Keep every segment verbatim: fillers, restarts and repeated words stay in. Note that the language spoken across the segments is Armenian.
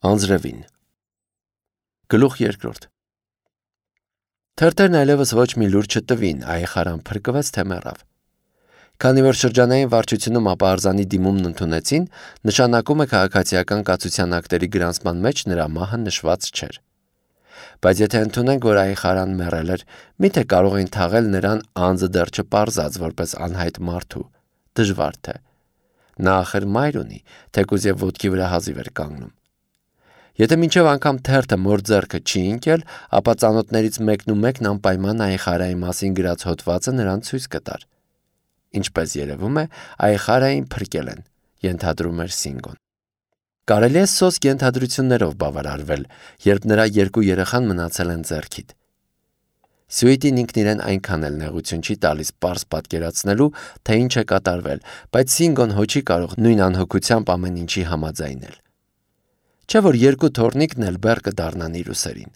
Անձրևին Գլուխ երկրորդ Թերթերն այլևս ոչ մի լուր չտվին, այխարան փրկվեց թե մեռավ։ Քանի որ շրջանային վարչությունում ապահարզանի դիմումն ընդունեցին, նշանակում է քաղաքացիական կացության ակտերի գրանցման մեջ նրա մահը նշված չէր։ Բայց եթե ընդունենք, որ այխարան մեռել էր, միթե կարող էին թաղել նրան անձը դեռ չպարզած որպես անհայտ մարդու, դժվար թե։ Նա ախր մայր ունի, թեկուզ եւ ոտքի վրա հազիվ էր կանգնում։ Եթե մինչև անգամ թերթը մոր ձեռքը չի ընկել, ապա ծանոթներից մեկն ու մեկն անպայման այխարայի մասին գրած հոդվածը նրան ցույց կտար։ Ինչպես երևում է, այխարային փրկել են, ենթադրում էր Սինգոն։ Կարելի է սոսկ ենթադրություններով բավարարվել, երբ նրա երկու երեխան մնացել են ձեռքիդ։ Սյուիտին ինքն իրեն այնքան էլ նեղություն չի տալիս պարզ պատկերացնելու, թե ինչ է կատարվել, բայց Սինգոն հո չի կարող նույն անհոգությամբ ամեն ինչի համաձայնել։ Չէ՞ որ երկու թոռնիկն էլ բեռ կդառնան իր ուսերին։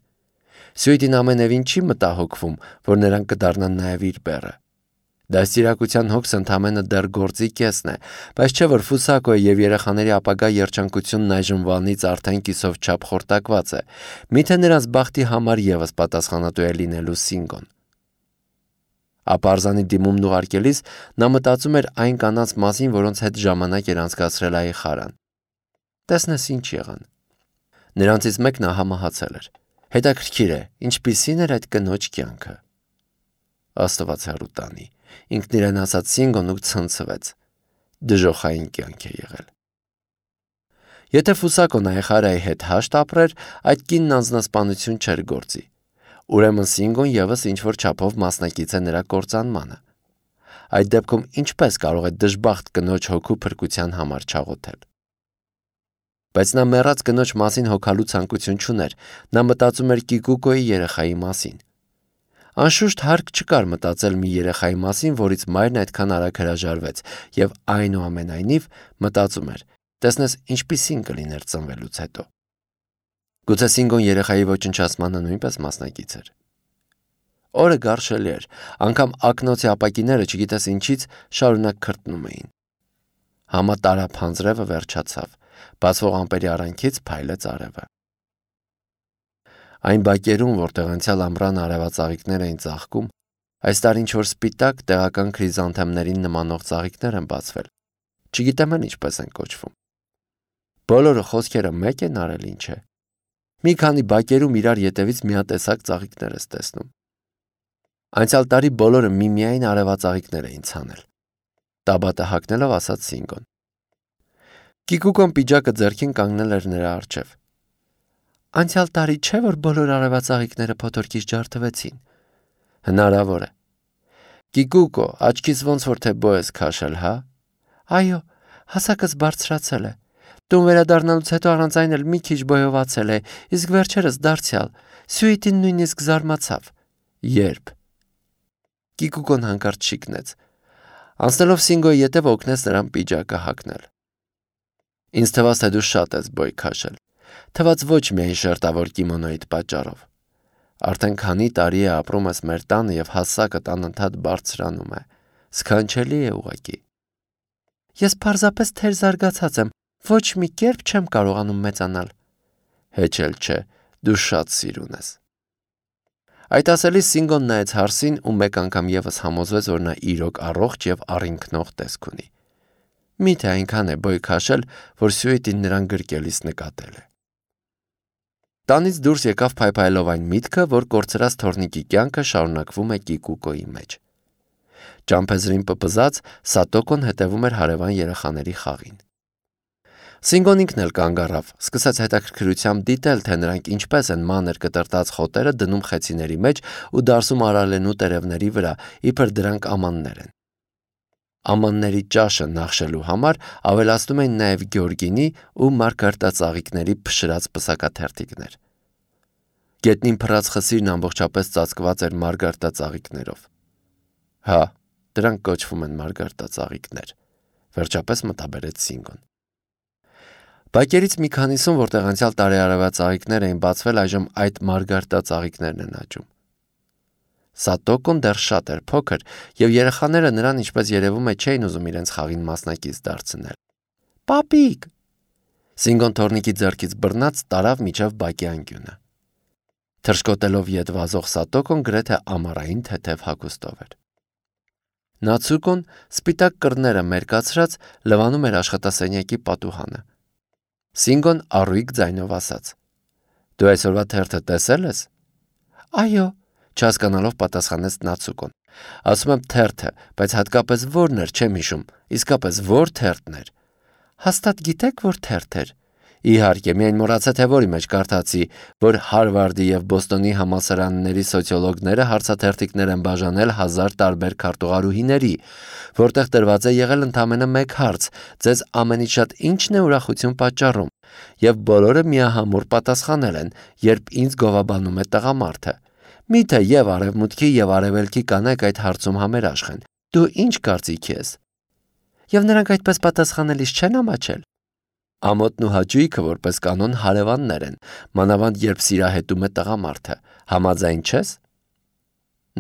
Սյուիտին ամենևին չի մտահոգվում, որ նրանք կդառնան նաև իր բեռը։ Դաստիարակության հոգս ընդամենը դեռ գործի կեսն է, բայց չէ՞ որ Ֆուսակոյի եւ երեխաների ապագա երջանկությունն այժմ վանից արդեն կիսով չափ խորտակված է։ Միթե նրանց բախտի համար եւս պատասխանատու է լինելու Սինգոն։ Ապարզանի դիմումն ուղարկելիս նա մտածում էր այն կանանց մասին, որոնց հետ ժամանակ էր անցկացրել այխարան։ Տեսնես ինչ եղան։ Նրանցից մեկն ահամահացել էր։ Հետաքրքիր է, ինչպիսին էր այդ կնոջ կյանքը։ Աստված հեռու տանի, ինքն իրեն ասաց Սինգոն ու ցնցվեց։ Դժոխային կյանք է եղել։ Եթե Ֆուսակոն այխարայի հետ հաշտ ապրեր, այդ կինն անձնասպանություն չէր գործի։ Ուրեմն Սինգոն եւս ինչ-որ չափով մասնակից է նրա կործանմանը։ Այդ դեպքում ինչպես կարող է դժբախտ կնոջ հոգու փրկության համար չաղոթել։ Բայց նա մեռած կնոջ մասին հոգալու ցանկություն չուներ, նա մտածում էր Կիկուկոյի երեխայի մասին։ Անշուշտ հարկ չկար մտածել մի երեխայի մասին, որից մայրն այդքան արագ հրաժարվեց, եւ այնուամենայնիվ մտածում էր. տեսնես ինչպիսին կլիներ ծնվելուց հետո։ Գուցե Սինգոն երեխայի ոչնչացմանը նույնպես մասնակից էր։ Օրը գարշելի էր, անգամ ակնոցի ապակիները չգիտես ինչից շարունակ քրտնում էին։ Համատարապ հանձրևը վերջացավ, բացվող ամպերի արանքից փայլեց արևը։ Այն բակերում, որտեղ անցյալ ամռան արևածաղիկներ էին ծաղկում, այս տարի ինչ-որ սպիտակ տեղական քրիզանթեմներին նմանող ծաղիկներ են բացվել։ Չգիտեմ էլ ինչպես են կոչվում։ Բոլորը խոսքերը մեկ են արել, ինչ է։ Մի քանի բակերում իրար ետևից միատեսակ ծաղիկներ ես տեսնում։ Անցյալ տարի բոլորը միմիայն արևածաղիկներ էին ցանել։ Տաբատը հագնելով ասաց Սինգոն։ Կիկուկոն պիջակը ձեռքին կանգնել էր նրա առջև։ Անցյալ տարի չէ՞ որ բոլոր արևածաղիկները փոթորկից ջարդվեցին։ Հնարավոր է։ Կիկուկո, աչքից ոնց որ թե բո ես քաշել, հա։ Այո, հասակս բարձրացել է։ Տուն վերադառնալուց հետո առանց այն էլ մի քիչ բոյովացել է, իսկ վերջերս դարձյալ։ Սյուիտին նույնիսկ զարմացավ։ Երբ։ Կիկուկոն հանկարծ շիկնեց։ Անցնելով Սինգոյի ետև օգնեց նրան պիջակը հագնել։ Ինձ թվաց, թե դու շատ ես բոյ քաշել։ Թվաց ոչ միայն շերտավոր կիմոնոյիդ պատճառով։ Արդեն քանի տարի է ապրում ես մեր տանը եւ հասակդ անընդհատ բարձրանում է։ Սքանչելի է ուղղակի։ Ես պարզապես թեր զարգացած եմ, ոչ մի կերպ չեմ կարողանում մեծանալ։ Հեչ էլ չէ, դու շատ սիրուն ես։ Այդ ասելիս Սինգոն նայեց հարսին ու մեկ անգամ եւս համոզվեց, որ նա իրոք առողջ եւ առինքնող տեսք ունի։ Միթե այնքան է բոյ քաշել, որ Սյուիտին նրան գրկելիս նկատել է։ Տանից դուրս եկավ փայփայելով այն միտքը, որ կորցրած թոռնիկի կյանքը շարունակվում է Կիկուկոյի մեջ։ Ճամփեզրին պպզած Սատոկոն հետևում էր հարևան երեխաների խաղին։ Սինգոն ինքն էլ կանգ առավ, սկսեց հետաքրքրությամբ դիտել, թե նրանք ինչպես են մանր կտրտած խոտերը դնում խեցիների մեջ ու դարսում արալենու տերևների վրա, իբր դրանք ամաններ են։ Ամանների ճաշը նախշելու համար ավելացնում են նաև գյորգինի ու մարգարտածաղիկների փշրած պսակաթերթիկներ։ Գետնին փռած խսիրն ամբողջապես ծածկված էր մարգարտածաղիկներով։ Հա, դրանք կոչվում են մարգարտածաղիկներ, վերջապես մտաբերեց Սինգոն։ Բակերից մի քանիսում, որտեղ անցյալ տարի արևածաղիկներ էին բացվել, այժմ այդ մարգարտածաղիկներն են աճում։ Սատոկոն դեռ շատ էր փոքր, եւ երեխաները նրան, ինչպես երևում է, չէին ուզում իրենց խաղին մասնակից դարձնել։ Պապիկ։ Սինգոն թորնիկի ձեռքից բռնած տարավ միջև բակի անկյունը։ Թռչկոտելով ետ վազող Սատոկոն գրեթե ամառային թեթև հագուստով էր։ Նացուկոն սպիտակ կռները մերկացրած լվանում էր աշխատասենյակի պատուհանը։ Սինգոն առույգ ձայնով ասաց. «Դու այսօրվա թերթը տեսել ես»։ «Այո», չհասկանալով պատասխանեց Նացուկոն։ «Ասում եմ թերթը, բայց հատկապես որն էր, չեմ հիշում, իսկապես որ թերթն էր»։ «Հաստատ գիտեք, որ թերթ էր»։ «Իհարկե, միայն մոռացա, թե որի մեջ կարդացի, որ Հարվարդի և Բոստոնի համալսարանների սոցիոլոգները հարցաթերթիկներ են բաժանել հազար տարբեր քարտուղարուհիների, որտեղ տրված է եղել ընդամենը մեկ հարց. ձեզ ամենից շատ ի՞նչն է ուրախություն պատճառում, և բոլորը միահամուռ պատասխանել են, երբ ինձ գովաբանում է տղամարդը։ Միթե և արևմուտքի և արևելքի կանայք այդ հարցում համերաշխ են, դու ինչ կարծիքի ես։ Եվ նրանք այդպես պատասխանելիս չեն ամաչել։ Ամոթն ու հաճույքը որպես կանոն հարևաններ են, մանավանդ երբ սիրահետում է տղամարդը, համաձայն չես։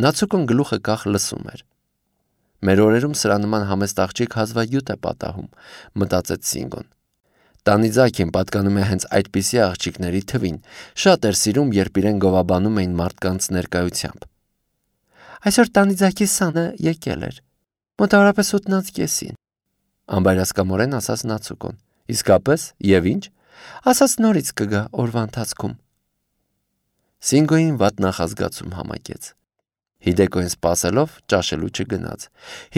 Նացուկոն գլուխը կախ լսում էր։ Մեր օրերում սրա նման համեստ աղջիկ հազվագյուտ է պատահում, մտածեց Սինգոն։ Տանիձակին պատկանում է հենց այդպիսի աղջիկների թվին, շատ էր սիրում, երբ իրեն գովաբանում էին մարդկանց ներկայությամբ։ Այսօր Տանիձակի սանը եկել էր, մոտավորապես ութն անց կեսին, անբայրասկամորեն ասաց Նացուկոն։ Իսկապես, և ինչ, ասաց նորից կգա օրվա ընթացքում։ Սինգոյին վատ նախազգացում համակեց։ Հիդեկոյին սպասելով ճաշելու չգնաց։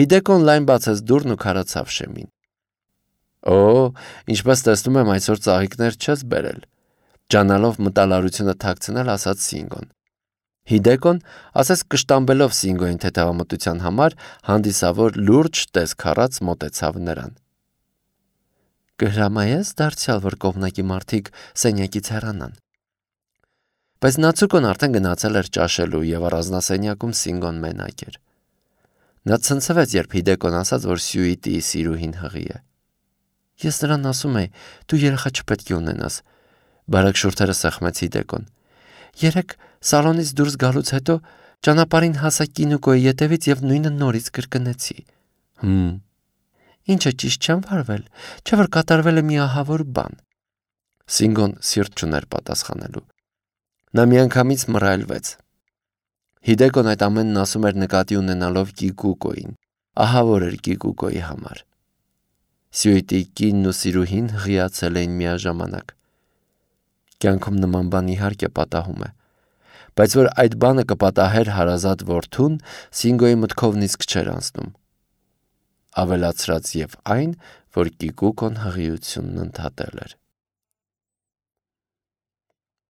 Հիդեկոն լայն բացեց դուռն ու քարացավ շեմին։ Օ, ինչպես տեսնում եմ, այսօր ծաղիկներ չես բերել, ջանալով մտալարությունը թաքցնել, ասաց Սինգոն։ Հիդեկոն, ասես կշտամբելով Սինգոյին թեթևամտության համար, հանդիսավոր լուրջ տեսք առած մոտեցավ նրան։ Կհրամայես դարձյալ, որ կողմնակի մարդիկ սենյակից հեռանան։ Բայց Նացուկոն արդեն գնացել էր ճաշելու և առանձնասենյակում Սինգոն մենակ էր։ Նա ցնցվեց, երբ Հիդեկոն ասաց, որ Սյուիտիի սիրուհին հղի է։ Ես նրան ասում եի, դու երեխա չպետք է ունենաս, բարակ շուրթերը սեղմեց Հիդեկոն։ Երեկ սալոնից դուրս գալուց հետո ճանապարհին հասա Կինուկոյի ետևից և նույնը նորից կրկնեցի։ Հմ։ Ինչը ճիշտ չեմ վարվել, չէ՞ որ կատարվել է մի ահավոր բան։ Սինգոն սիրտ չուներ պատասխանելու։ Նա միանգամից մռայլվեց։ Հիդեկոն այդ ամենն ասում էր նկատի ունենալով Կիկուկոյին, ահավոր էր Կիկուկոյի համար։ Սյուիտիի կինն ու սիրուհին հղիացել էին միաժամանակ։ Կյանքում նման բան իհարկե պատահում է, բայց որ այդ բանը կպատահեր հարազատ որդուն, Սինգոյի մտքով նիսկ չէր անցնում։ Ավելացրած և այն, որ Կիկուկոն հղիությունն ընդհատել էր։